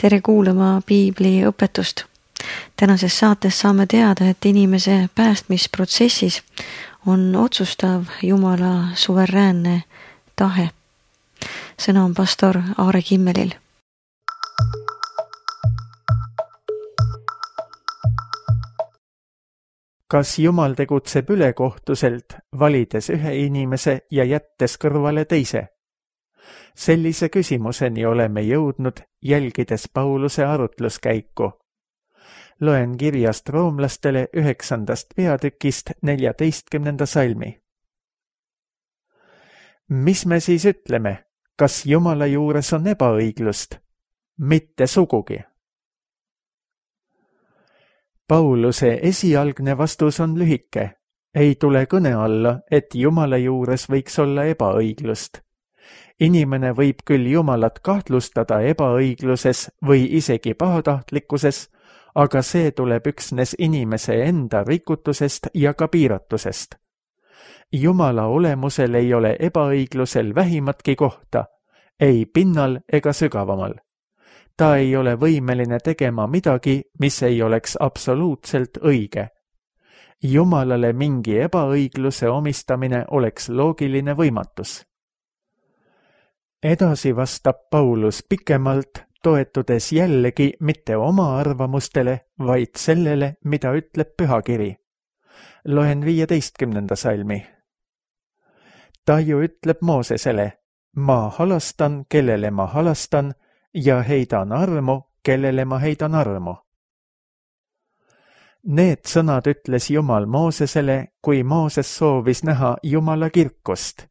Tere kuulama piibli õpetust. Tänases saates saame teada, et inimese päästmisprotsessis on otsustav Jumala suveräänne tahe. Sõna on pastor Aare Kimmelil. Kas Jumal tegutseb ülekohtuselt, valides ühe inimese ja jättes kõrvale teise? Sellise küsimuseni oleme jõudnud, jälgides Pauluse arutluskäiku. Loen kirjast roomlastele 9. peatükist 14. salmi. Mis me siis ütleme? Kas Jumala juures on ebaõiglust? Mitte sugugi. Pauluse esialgne vastus on lühike. Ei tule kõne alla, et Jumala juures võiks olla ebaõiglust. Inimene võib küll Jumalat kahtlustada ebaõigluses või isegi pahatahtlikkuses, aga see tuleb üksnes inimese enda rikutusest ja ka piiratusest. Jumala olemusel ei ole ebaõiglusel vähimatki kohta, ei pinnal ega sügavamal. Ta ei ole võimeline tegema midagi, mis ei oleks absoluutselt õige. Jumalale mingi ebaõigluse omistamine oleks loogiline võimatus. Edasi vastab Paulus pikemalt, toetudes jällegi mitte oma arvamustele, vaid sellele, mida ütleb pühakiri. Loen 15. salmi. Ta ju ütleb Moosesele, ma halastan, kellele ma halastan, ja heidan armu, kellele ma heidan armu. Need sõnad ütles Jumal Moosesele, kui Mooses soovis näha Jumala kirkust.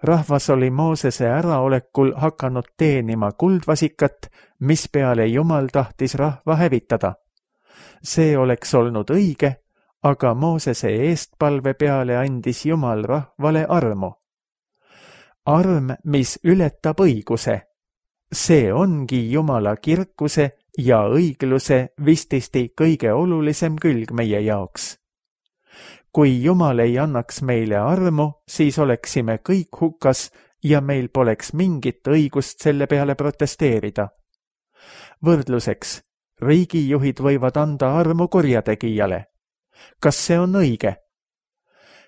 Rahvas oli Moosese äraolekul hakanud teenima kuldvasikat, mispeale Jumal tahtis rahva hävitada. See oleks olnud õige, aga Moosese eestpalve peale andis Jumal rahvale armu. Arm, mis ületab õiguse. See ongi Jumala kirkuse ja õigluse vististi kõige olulisem külg meie jaoks. Kui Jumal ei annaks meile armu, siis oleksime kõik hukas ja meil poleks mingit õigust selle peale protesteerida. Võrdluseks, riigijuhid võivad anda armu kurjategijale. Kas see on õige?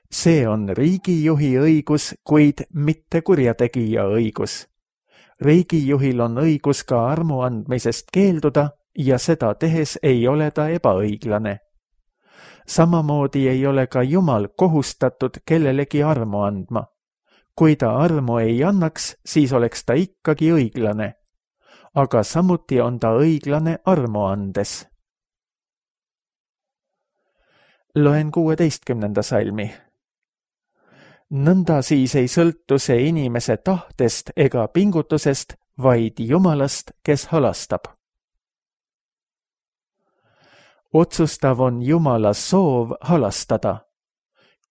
See on riigijuhi õigus, kuid mitte kurjategija õigus. Riigijuhil on õigus ka armu andmisest keelduda ja seda tehes ei ole ta ebaõiglane. Samamoodi ei ole ka Jumal kohustatud kellelegi armu andma. Kui ta armu ei annaks, siis oleks ta ikkagi õiglane. Aga samuti on ta õiglane armu andes. Loen 16. salmi. Nõnda siis ei sõltu see inimese tahtest ega pingutusest, vaid Jumalast, kes halastab. Otsustav on Jumala soov halastada.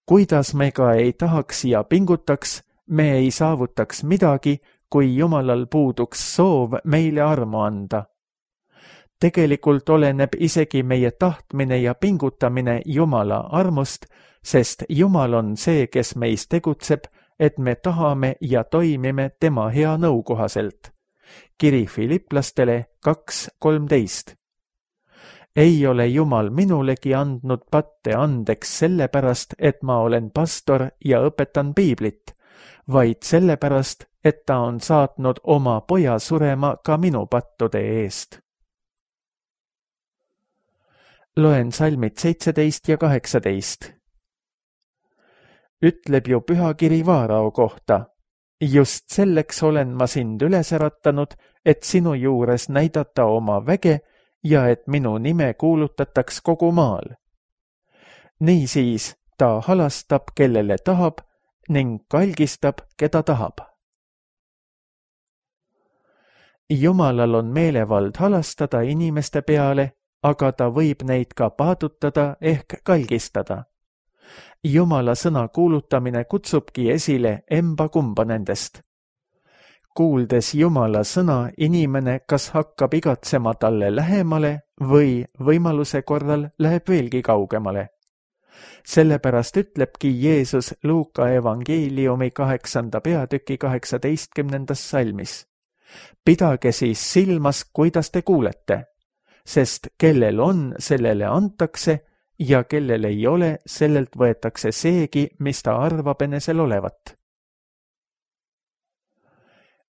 Kuidas me ka ei tahaks ja pingutaks, me ei saavutaks midagi, kui Jumalal puuduks soov meile armu anda. Tegelikult oleneb isegi meie tahtmine ja pingutamine Jumala armust, sest Jumal on see, kes meis tegutseb, et me tahame ja toimime tema hea nõu kohaselt. Kiri Filiplastele 2:13. Ei ole Jumal minulegi andnud patte andeks sellepärast, et ma olen pastor ja õpetan piiblit, vaid sellepärast, et ta on saatnud oma poja surema ka minu pattude eest. Loen salmid 17 ja 18. Ütleb ju pühakiri Vaarao kohta. Just selleks olen ma sind üles äratanud, et sinu juures näidata oma väge ja et minu nime kuulutataks kogu maal. Niisiis ta halastab, kellele tahab, ning kalgistab, keda tahab. Jumalal on meelevald halastada inimeste peale, aga ta võib neid ka paadutada ehk kalgistada. Jumala sõna kuulutamine kutsubki esile emba-kumba nendest. Kuuldes Jumala sõna, inimene kas hakkab igatsema talle lähemale või võimaluse korral läheb veelgi kaugemale. Sellepärast ütlebki Jeesus Luuka evangeeliumi 8. peatüki 18. salmis. Pidage siis silmas, kuidas te kuulete, sest kellel on, sellele antakse ja kellel ei ole, sellelt võetakse seegi, mis ta arvab enesel olevat.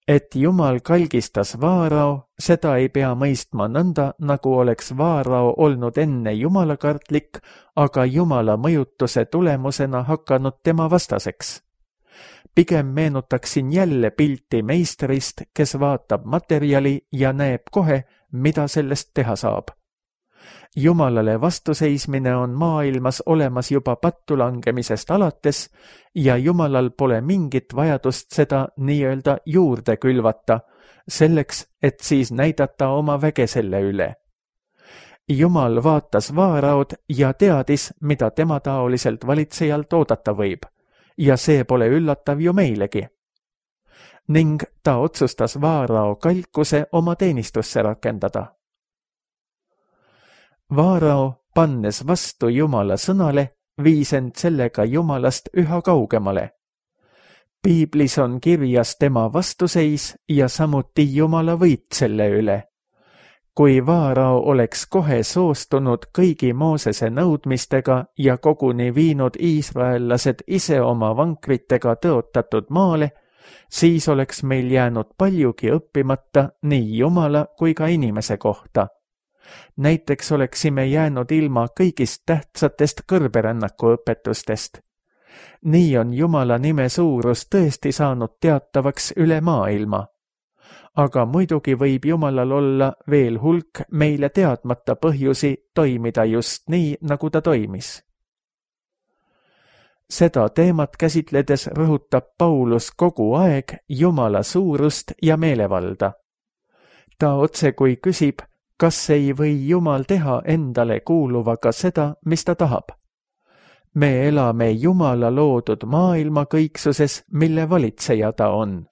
Et Jumal kalgistas Vaarao, seda ei pea mõistma nõnda, nagu oleks Vaarao olnud enne jumalakartlik, aga Jumala mõjutuse tulemusena hakanud tema vastaseks. Pigem meenutaksin jälle pilti meistrist, kes vaatab materjali ja näeb kohe, mida sellest teha saab. Jumalale vastuseismine on maailmas olemas juba pattu langemisest alates ja Jumalal pole mingit vajadust seda nii-öelda juurde külvata, selleks, et siis näidata oma väge selle üle. Jumal vaatas Vaaraod ja teadis, mida tema taoliselt valitsejalt oodata võib, ja see pole üllatav ju meilegi. Ning ta otsustas Vaarao kalkuse oma teenistusse rakendada. Vaarao, pannes vastu Jumala sõnale, viis end sellega Jumalast üha kaugemale. Piiblis on kirjas tema vastuseis ja samuti Jumala võit selle üle. Kui Vaarao oleks kohe soostunud kõigi Moosese nõudmistega ja koguni viinud iisraellased ise oma vankritega tõotatud maale, siis oleks meil jäänud paljugi õppimata nii Jumala kui ka inimese kohta. Näiteks oleksime jäänud ilma kõigist tähtsatest kõrberännaku õpetustest. Nii on Jumala nime suurus tõesti saanud teatavaks üle maailma. Aga muidugi võib Jumalal olla veel hulk meile teadmata põhjusi toimida just nii, nagu ta toimis. Seda teemat käsitledes rõhutab Paulus kogu aeg Jumala suurust ja meelevalda. Ta otsekui küsib, kas ei või Jumal teha endale kuuluvaga seda, mis ta tahab? Me elame Jumala loodud maailma kõiksuses, mille valitseja ta on.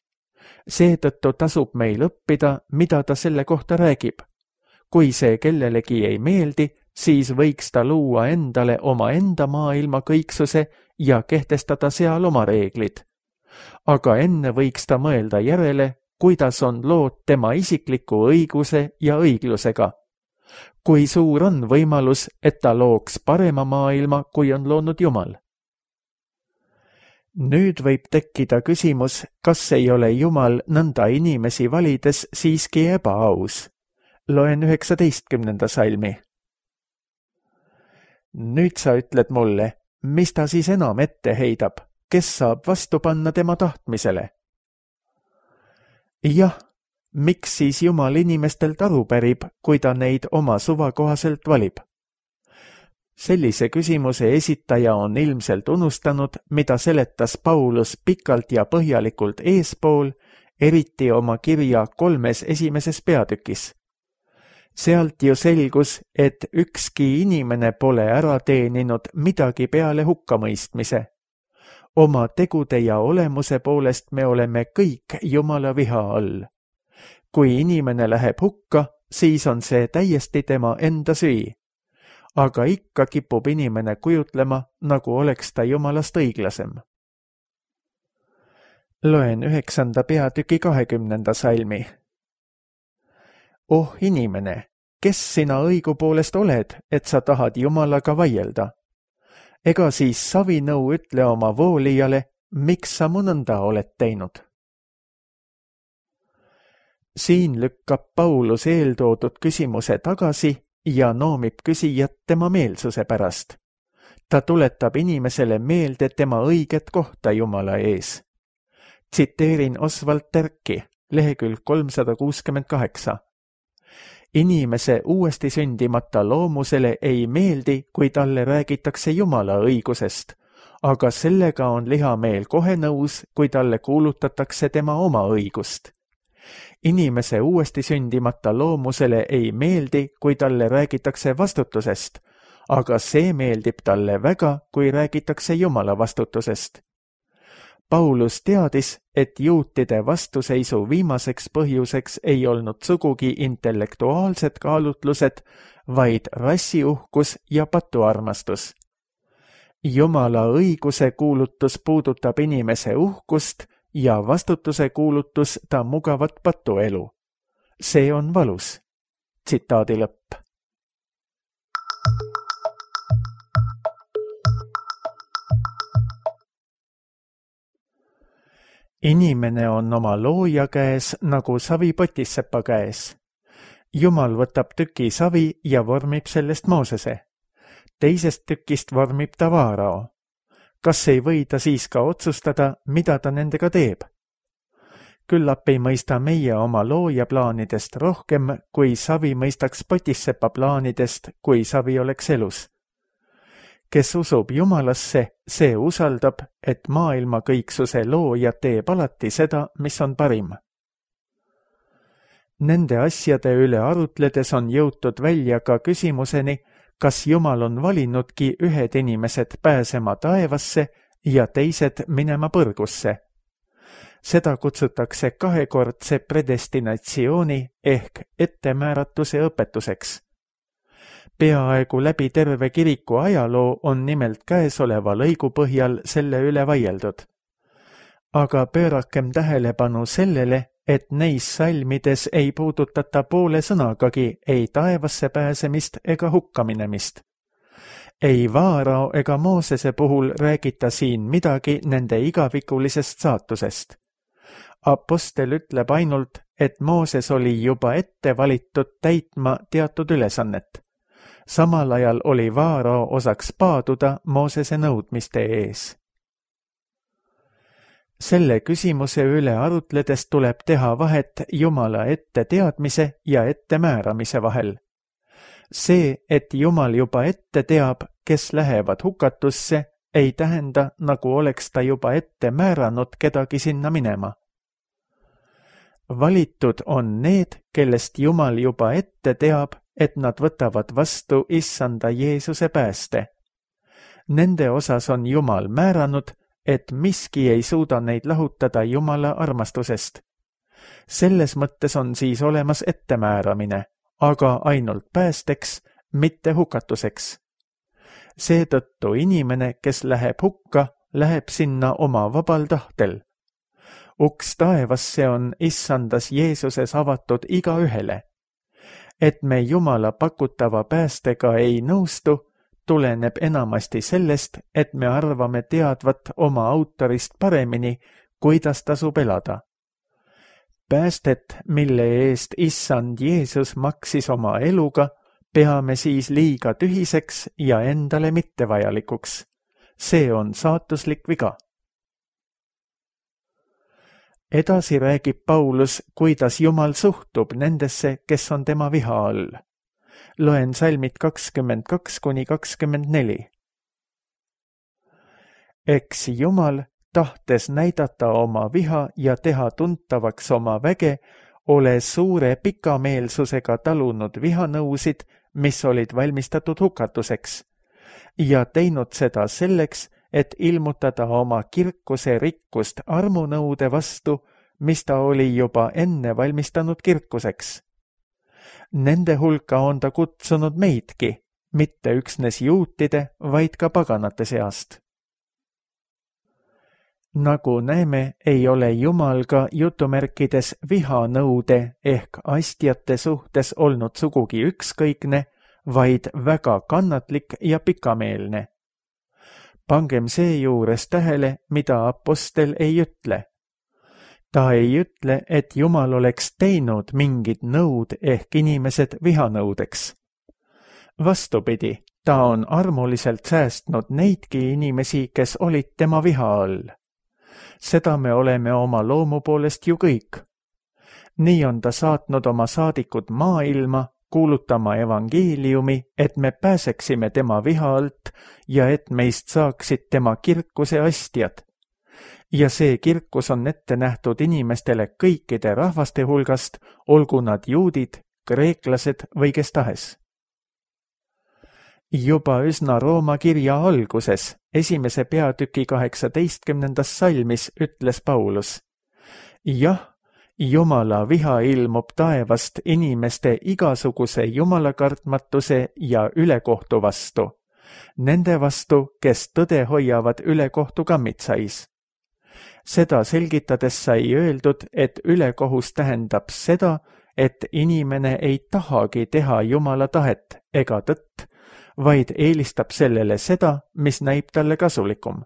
Seetõttu tasub meil õppida, mida ta selle kohta räägib. Kui see kellelegi ei meeldi, siis võiks ta luua endale oma enda maailma kõiksuse ja kehtestada seal oma reeglid. Aga enne võiks ta mõelda järele, kuidas on lood tema isikliku õiguse ja õiglusega. Kui suur on võimalus, et ta looks parema maailma, kui on loonud Jumal? Nüüd võib tekkida küsimus, kas ei ole Jumal nõnda inimesi valides siiski ebaaus. Loen 19. salmi. Nüüd sa ütled mulle, mis ta siis enam ette heidab, kes saab vastu panna tema tahtmisele? Jah, miks siis Jumal inimestelt aru pärib, kui ta neid oma suva kohaselt valib? Sellise küsimuse esitaja on ilmselt unustanud, mida seletas Paulus pikalt ja põhjalikult eespool, eriti oma kirja 3 esimeses peatükis. Sealt ju selgus, et ükski inimene pole ära teeninud midagi peale hukkamõistmise. Oma tegude ja olemuse poolest me oleme kõik Jumala viha all. Kui inimene läheb hukka, siis on see täiesti tema enda süü. Aga ikka kipub inimene kujutlema, nagu oleks ta Jumalast õiglasem. Loen 9. peatüki 20. salmi. Oh inimene, kes sina õigupoolest oled, et sa tahad Jumalaga vaielda? Ega siis savinõu ütle oma voolijale, miks sa mu nõnda oled teinud? Siin lükkab Paulus eeltoodud küsimuse tagasi ja noomib küsijat tema meelsuse pärast. Ta tuletab inimesele meelde tema õiget kohta Jumala ees. Tsiteerin Oswald Terki, lehekülg 368. Inimese uuesti sündimata loomusele ei meeldi, kui talle räägitakse Jumala õigusest, aga sellega on lihameel kohe nõus, kui talle kuulutatakse tema oma õigust. Inimese uuesti sündimata loomusele ei meeldi, kui talle räägitakse vastutusest, aga see meeldib talle väga, kui räägitakse Jumala vastutusest. Paulus teadis, et juutide vastuseisu viimaseks põhjuseks ei olnud sugugi intellektuaalsed kaalutlused, vaid rassiuhkus ja patuarmastus. Jumala õiguse kuulutus puudutab inimese uhkust ja vastutuse kuulutus ta mugavat patuelu. See on valus. Tsitaadi lõpp. Inimene on oma looja käes nagu savi potissepa käes. Jumal võtab tüki savi ja vormib sellest Moosese. Teisest tükist vormib ta Vaarao. Kas ei või ta siis ka otsustada, mida ta nendega teeb? Küllap ei mõista meie oma looja plaanidest rohkem, kui savi mõistaks potissepa plaanidest, kui savi oleks elus. Kes usub Jumalasse, see usaldab, et maailma kõiksuse looja teeb alati seda, mis on parim. Nende asjade üle arutledes on jõutud välja ka küsimuseni, kas Jumal on valinudki ühed inimesed pääsema taevasse ja teised minema põrgusse. Seda kutsutakse kahekordse predestinatsiooni ehk ettemääratuse õpetuseks. Peaaegu läbi terve kiriku ajaloo on nimelt käesoleva lõigu põhjal selle üle vaieldud. Aga pöörakem tähelepanu sellele, et neis salmides ei puudutata poole sõnagagi ei taevasse pääsemist ega hukkaminemist. Ei Vaarao ega Moosese puhul räägita siin midagi nende igavikulisest saatusest. Apostel ütleb ainult, et Mooses oli juba ette valitud täitma teatud ülesannet. Samal ajal oli Vaarao osaks paaduda Moosese nõudmiste ees. Selle küsimuse üle arutledes tuleb teha vahet Jumala ette teadmise ja ette määramise vahel. See, et Jumal juba ette teab, kes lähevad hukatusse, ei tähenda, nagu oleks ta juba ette määranud kedagi sinna minema. Valitud on need, kellest Jumal juba ette teab, et nad võtavad vastu Issanda Jeesuse pääste. Nende osas on Jumal määranud, et miski ei suuda neid lahutada Jumala armastusest. Selles mõttes on siis olemas ettemääramine, aga ainult päästeks, mitte hukatuseks. Seetõttu inimene, kes läheb hukka, läheb sinna oma vabal tahtel. Uks taevasse on Issandas Jeesuses avatud igaühele. Et me Jumala pakutava päästega ei nõustu, tuleneb enamasti sellest, et me arvame teadvat oma autorist paremini, kuidas tasub elada. Päästet, mille eest Issand Jeesus maksis oma eluga, peame siis liiga tühiseks ja endale mittevajalikuks. See on saatuslik viga. Edasi räägib Paulus, kuidas Jumal suhtub nendesse, kes on tema viha all. Loen salmid 22–24. Eks Jumal, tahtes näidata oma viha ja teha tuntavaks oma väge, ole suure pikameelsusega talunud vihanõusid, mis olid valmistatud hukatuseks, ja teinud seda selleks, et ilmutada oma kirkuse rikkust armunõude vastu, mis ta oli juba enne valmistanud kirkuseks. Nende hulka on ta kutsunud meidki, mitte üksnes juutide, vaid ka paganate seast. Nagu näeme, ei ole Jumal ka jutumärkides vihanõude ehk astjate suhtes olnud sugugi ükskõikne, vaid väga kannatlik ja pikameelne. Pangem seejuures tähele, mida apostel ei ütle. Ta ei ütle, et Jumal oleks teinud mingid nõud ehk inimesed vihanõudeks. Vastupidi, ta on armuliselt säästnud neidki inimesi, kes olid tema viha all. Seda me oleme oma loomu poolest ju kõik. Nii on ta saatnud oma saadikud maailma, kuulutama evangeeliumi, et me pääseksime tema viha alt ja et meist saaksid tema kirkuse astjad. Ja see kirkus on ette nähtud inimestele kõikide rahvaste hulgast, olgu nad juudid, kreeklased või kes tahes. Juba üsna Rooma kirja alguses, 1. peatüki 18. salmis ütles Paulus: jah, Jumala viha ilmub taevast inimeste igasuguse jumalakartmatuse ja ülekohtu vastu, nende vastu, kes tõde hoiavad ülekohtu kammitsais. Seda selgitades sai öeldud, et ülekohus tähendab seda, et inimene ei tahagi teha Jumala tahet ega tõtt, vaid eelistab sellele seda, mis näib talle kasulikum.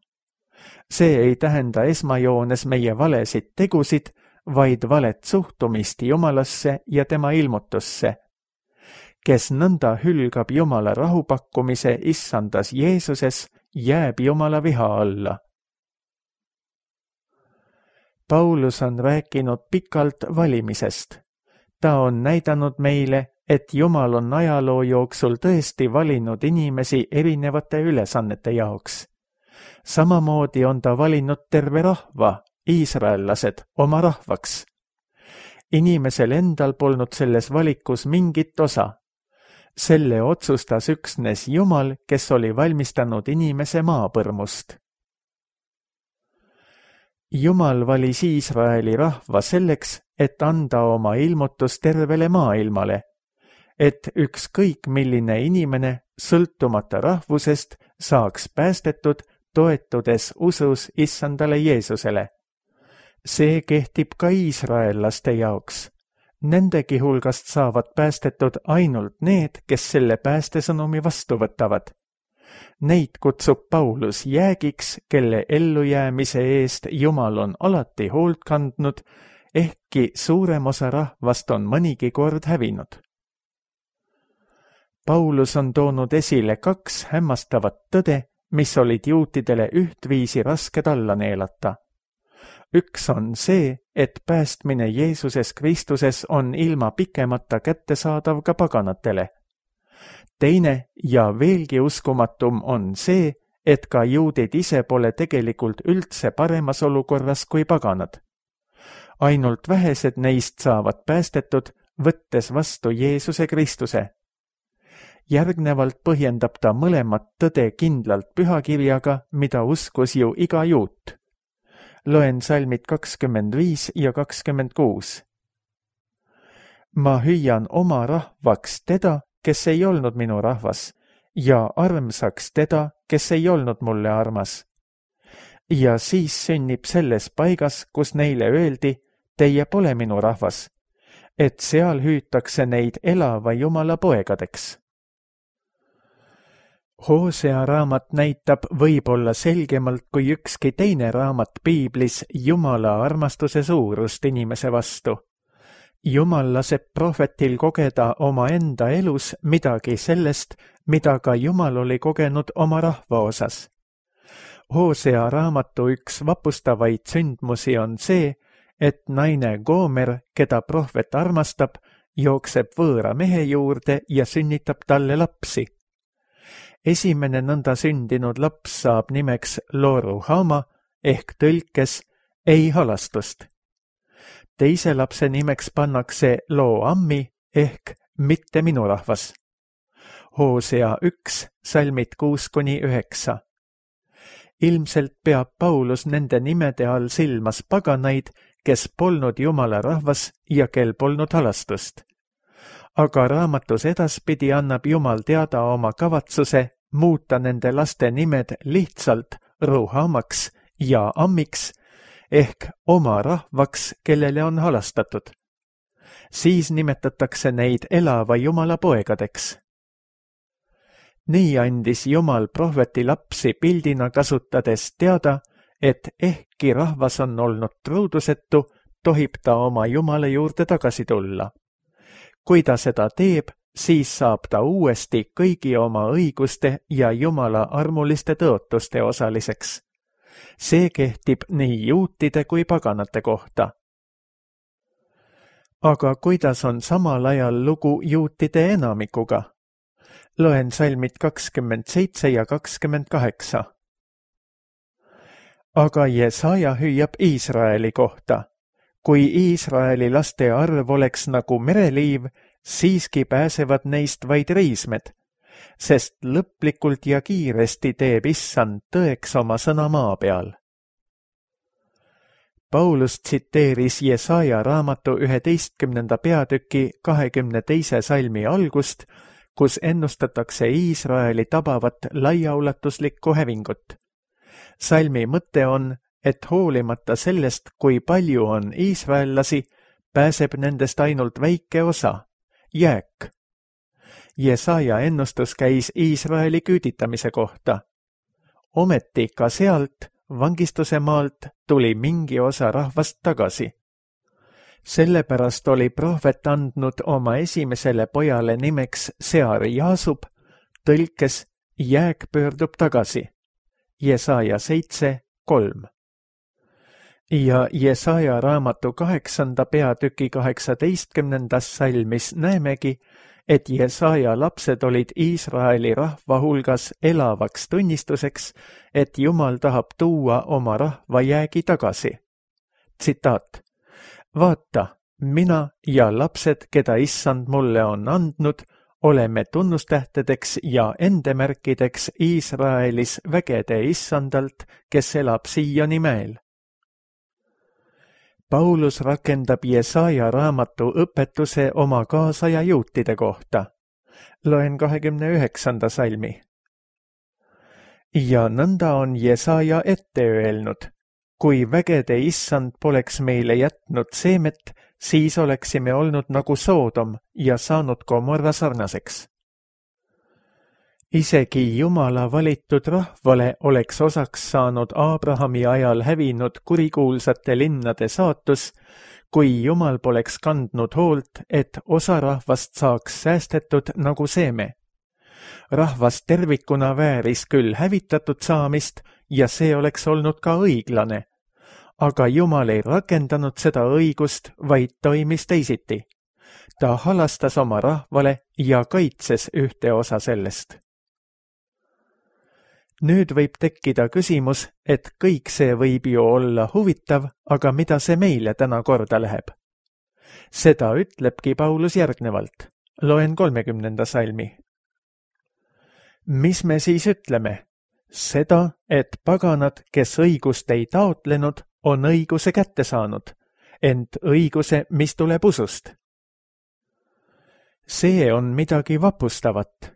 See ei tähenda esmajoones meie valesid tegusid, vaid valet suhtumist Jumalasse ja tema ilmutusse. Kes nõnda hülgab Jumala rahupakkumise issandas Jeesuses, jääb Jumala viha alla. Paulus on rääkinud pikalt valimisest. Ta on näidanud meile, et Jumal on ajaloo jooksul tõesti valinud inimesi erinevate ülesannete jaoks. Samamoodi on ta valinud terve rahva, iisraellased, oma rahvaks. Inimesel endal polnud selles valikus mingit osa. Selle otsustas üksnes Jumal, kes oli valmistanud inimese maapõrmust. Jumal valis Iisraeli rahva selleks, et anda oma ilmutus tervele maailmale, et ükskõik milline inimene, sõltumata rahvusest, saaks päästetud, toetudes usus issandale Jeesusele. See kehtib ka iisraellaste jaoks. Nendegi hulgast saavad päästetud ainult need, kes selle päästesõnumi vastu võtavad. Neid kutsub Paulus jäägiks, kelle ellujäämise eest Jumal on alati hoolt kandnud, ehkki suurem osa rahvast on mõnigi kord hävinud. Paulus on toonud esile 2 hämmastavat tõde, mis olid juutidele ühtviisi rasked alla neelata. Üks on see, et päästmine Jeesuses Kristuses on ilma pikemata kättesaadav ka paganatele. Teine ja veelgi uskumatum on see, et ka juudid ise pole tegelikult üldse paremas olukorras kui paganad. Ainult vähesed neist saavad päästetud, võttes vastu Jeesuse Kristuse. Järgnevalt põhjendab ta mõlemat tõde kindlalt pühakirjaga, mida uskus ju iga juut. Loen salmid 25 ja 26. Ma hüüan oma rahvaks teda, kes ei olnud minu rahvas, ja armsaks teda, kes ei olnud mulle armas. Ja siis sünnib selles paigas, kus neile öeldi, teie pole minu rahvas, et seal hüütakse neid elava Jumala poegadeks. Hosea raamat näitab võib-olla selgemalt kui ükski teine raamat piiblis Jumala armastuse suurust inimese vastu. Jumal laseb prohvetil kogeda omaenda elus midagi sellest, mida ka Jumal oli kogenud oma rahva osas. Hosea raamatu üks vapustavaid sündmusi on see, et naine Goomer, keda prohvet armastab, jookseb võõra mehe juurde ja sünnitab talle lapsi. Esimene nõnda sündinud laps saab nimeks Lo-Ruhama ehk tõlkes ei halastust. Teise lapse nimeks pannakse Lo-Ammi ehk mitte minu rahvas. Hosea 1, salmid 6-9. Ilmselt peab Paulus nende nimede all silmas paganaid, kes polnud Jumala rahvas ja kel polnud halastust. Aga raamatus edaspidi annab Jumal teada oma kavatsuse muuta nende laste nimed lihtsalt Ruhamaks ja Ammiks ehk oma rahvaks, kellele on halastatud. Siis nimetatakse neid elava Jumala poegadeks. Nii andis Jumal prohveti lapsi pildina kasutades teada, et ehkki rahvas on olnud truudusetu, tohib ta oma Jumala juurde tagasi tulla. Kui ta seda teeb, siis saab ta uuesti kõigi oma õiguste ja Jumala armuliste tõotuste osaliseks. See kehtib nii juutide kui paganate kohta. Aga kuidas on samal ajal lugu juutide enamikuga? Loen salmid 27 ja 28. Aga Jesaja hüüab Iisraeli kohta. Kui Iisraeli laste arv oleks nagu mereliiv, siiski pääsevad neist vaid reismed, sest lõplikult ja kiiresti teeb issand tõeks oma sõna maa peal. Paulus tsiteeris Jesaja raamatu 11. peatüki 22. salmi algust, kus ennustatakse Iisraeli tabavat laiaulatuslikku hävingut. Salmi mõte on, et hoolimata sellest, kui palju on iisraellasi, pääseb nendest ainult väike osa, jääk. Jesaja ennustus käis Iisraeli küüditamise kohta. Ometi ka sealt, vangistuse maalt, tuli mingi osa rahvast tagasi. Sellepärast oli prohvet andnud oma esimesele pojale nimeks Sear-Jaasub, tõlkes jääk pöördub tagasi. Jesaja 7:3. Ja Jesaja raamatu 8. peatüki 18. salmis näemegi, et Jesaja lapsed olid Iisraeli rahva hulgas elavaks tunnistuseks, et Jumal tahab tuua oma rahva jäägi tagasi. Tsitaat. Vaata, mina ja lapsed, keda issand mulle on andnud, oleme tunnustähtedeks ja endemärkideks Iisraelis vägede issandalt, kes elab siiani mäel. Paulus rakendab Jesaja raamatu õpetuse oma kaasaja juutide kohta. Loen 29. salmi. Ja nõnda on Jesaja ette öelnud, kui vägede issand poleks meile jätnud seemet, siis oleksime olnud nagu Soodom ja saanud Gomorra sarnaseks. Isegi Jumala valitud rahvale oleks osaks saanud Abrahami ajal hävinud kurikuulsate linnade saatus, kui Jumal poleks kandnud hoolt, et osa rahvast saaks säästetud nagu seeme. Rahvas tervikuna vääris küll hävitatud saamist ja see oleks olnud ka õiglane, aga Jumal ei rakendanud seda õigust, vaid toimis teisiti. Ta halastas oma rahvale ja kaitses ühte osa sellest. Nüüd võib tekkida küsimus, et kõik see võib ju olla huvitav, aga mida see meile täna korda läheb? Seda ütlebki Paulus järgnevalt. Loen 30. salmi. Mis me siis ütleme? Seda, et paganad, kes õigust ei taotlenud, on õiguse kätte saanud, ent õiguse, mis tuleb usust. See on midagi vapustavat.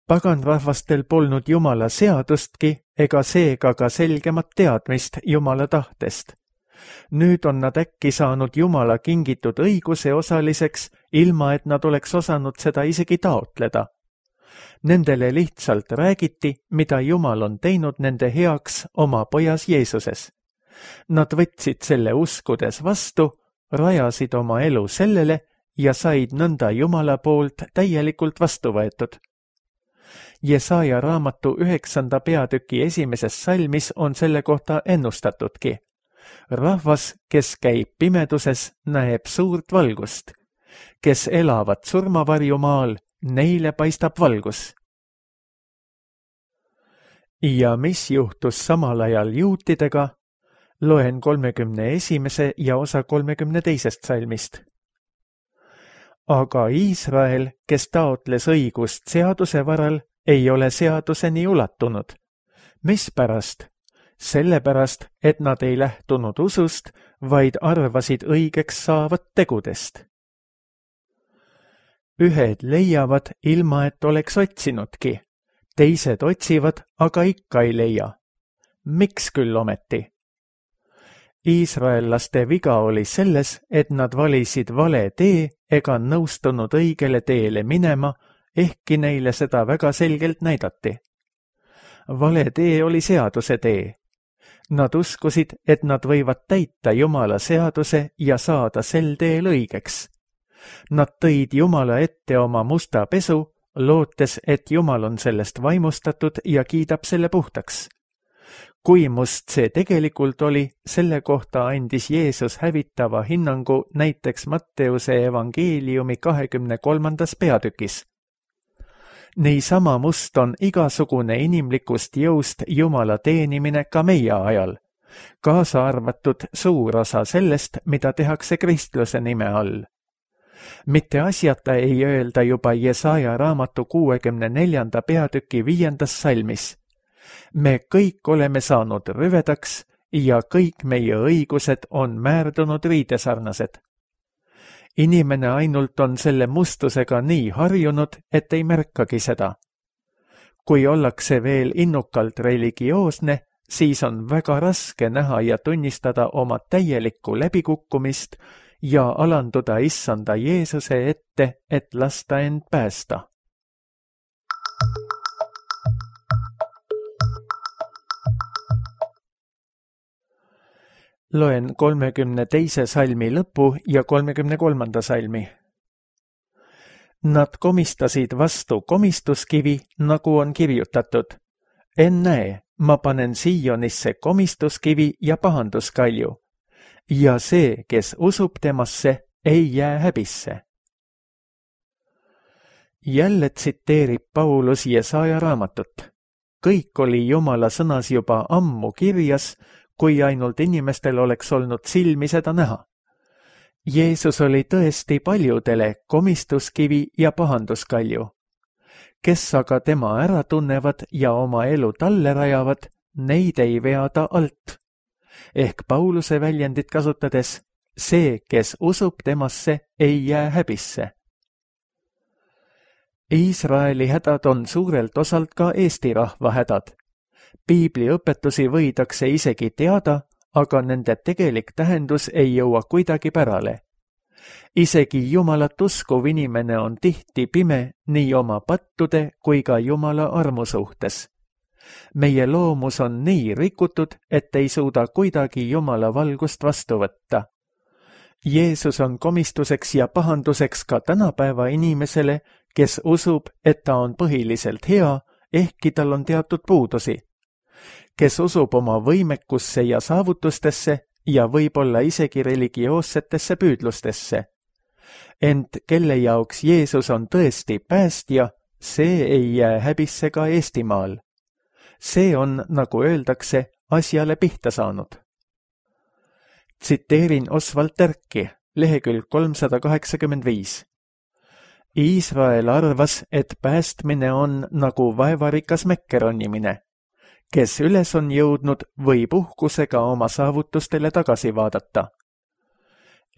Paganrahvastel polnud Jumala seadustki ega seega ka selgemat teadmist Jumala tahtest. Nüüd on nad äkki saanud Jumala kingitud õiguse osaliseks, ilma et nad oleks osanud seda isegi taotleda. Nendele lihtsalt räägiti, mida Jumal on teinud nende heaks oma pojas Jeesuses. Nad võtsid selle uskudes vastu, rajasid oma elu sellele ja said nõnda Jumala poolt täielikult vastu võetud. Jesaja raamatu 9. peatüki 1. salmis on selle kohta ennustatudki. Rahvas, kes käib pimeduses, näeb suurt valgust. Kes elavad surmavarjumaal, neile paistab valgus. Ja mis juhtus samal ajal juutidega? Loen 31. ja osa 32. salmist. Aga Iisrael, kes taotles õigust seaduse varal, ei ole seaduseni ulatunud. Mispärast? Sellepärast, et nad ei lähtunud usust, vaid arvasid õigeks saavat tegudest. Ühed leiavad, ilma et oleks otsinudki. Teised otsivad, aga ikka ei leia. Miks küll ometi? Iisraellaste viga oli selles, et nad valisid vale tee ega nõustunud õigele teele minema, ehkki neile seda väga selgelt näidati. Vale tee oli seaduse tee. Nad uskusid, et nad võivad täita Jumala seaduse ja saada sel teel õigeks. Nad tõid Jumala ette oma musta pesu, lootes, et Jumal on sellest vaimustatud ja kiidab selle puhtaks. Kui must see tegelikult oli, selle kohta andis Jeesus hävitava hinnangu näiteks Matteuse evangeeliumi 23. peatükis. Niisama must on igasugune inimlikust jõust Jumala teenimine ka meie ajal, kaasa arvatud suur osa sellest, mida tehakse kristluse nime all. Mitte asjata ei öelda juba Jesaja raamatu 64. peatüki 5. salmis. Me kõik oleme saanud rüvedaks ja kõik meie õigused on määrdunud riidesarnased. Inimene ainult on selle mustusega nii harjunud, et ei märkagi seda. Kui ollakse veel innukalt religioosne, siis on väga raske näha ja tunnistada oma täielikku läbikukkumist ja alanduda Issanda Jeesuse ette, et lasta end päästa. Loen 32. salmi lõpu ja 33. salmi. Nad komistasid vastu komistuskivi, nagu on kirjutatud. Ennäe, ma panen Siionisse komistuskivi ja pahanduskalju. Ja see, kes usub temasse, ei jää häbisse. Jälle tsiteerib Paulus Jesaja raamatut. Kõik oli Jumala sõnas juba ammu kirjas, kui ainult inimestel oleks olnud silmi seda näha. Jeesus oli tõesti paljudele komistuskivi ja pahanduskalju. Kes aga tema ära tunnevad ja oma elu talle rajavad, neid ei vea ta alt. Ehk Pauluse väljendit kasutades, see, kes usub temasse, ei jää häbisse. Iisraeli hädad on suurelt osalt ka Eesti rahva hädad. Piibli õpetusi võidakse isegi teada, aga nende tegelik tähendus ei jõua kuidagi pärale. Isegi Jumalat uskuv inimene on tihti pime nii oma pattude kui ka Jumala armu suhtes. Meie loomus on nii rikutud, et ei suuda kuidagi Jumala valgust vastu võtta. Jeesus on komistuseks ja pahanduseks ka tänapäeva inimesele, kes usub, et ta on põhiliselt hea, ehkki tal on teatud puudusi. Kes usub oma võimekusse ja saavutustesse ja võib-olla isegi religioossetesse püüdlustesse. Ent kelle jaoks Jeesus on tõesti päästja, see ei jää häbisse ka Eestimaal. See on, nagu öeldakse, asjale pihta saanud. Tsiteerin Oswald Terki, lehekülg 385. Iisrael arvas, et päästmine on nagu vaevarikas mekke ronimine. Kes üles on jõudnud, võib uhkusega oma saavutustele tagasi vaadata.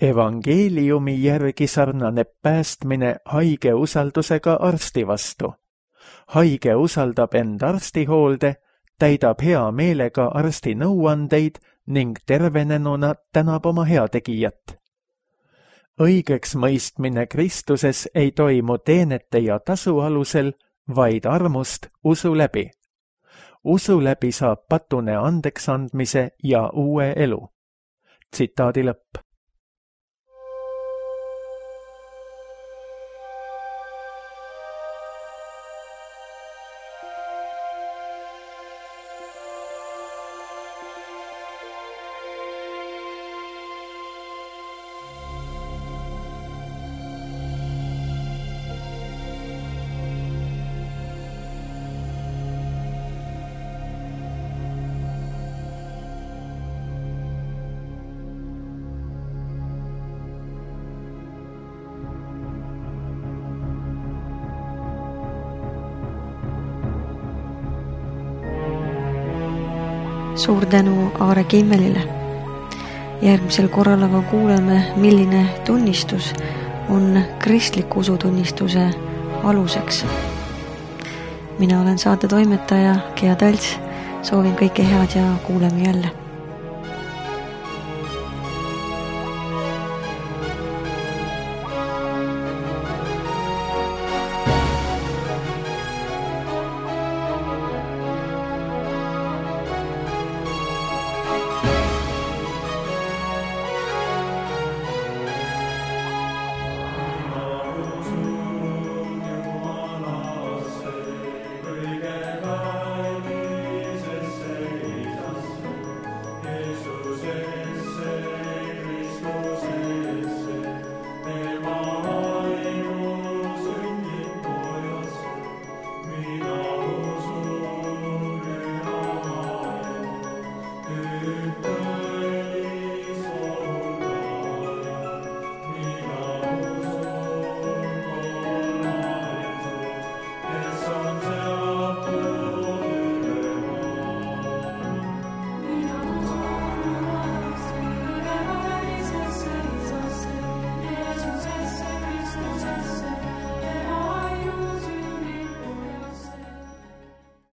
Evangeeliumi järgi sarnaneb päästmine haige usaldusega arsti vastu. Haige usaldab end arstihoolde, täidab hea meelega arsti nõuandeid ning tervenenuna tänab oma heategijat. Õigeks mõistmine Kristuses ei toimu teenete ja tasu alusel, vaid armust usu läbi. Usu läbi saab patune andeks andmise ja uue elu. Tsitaadi lõpp. Suur tänu Aare Kimmelile. Järgmisel korral aga kuuleme, milline tunnistus on kristliku usutunnistuse aluseks. Mina olen saate toimetaja Gea Talts. Soovin kõike head ja kuuleme jälle.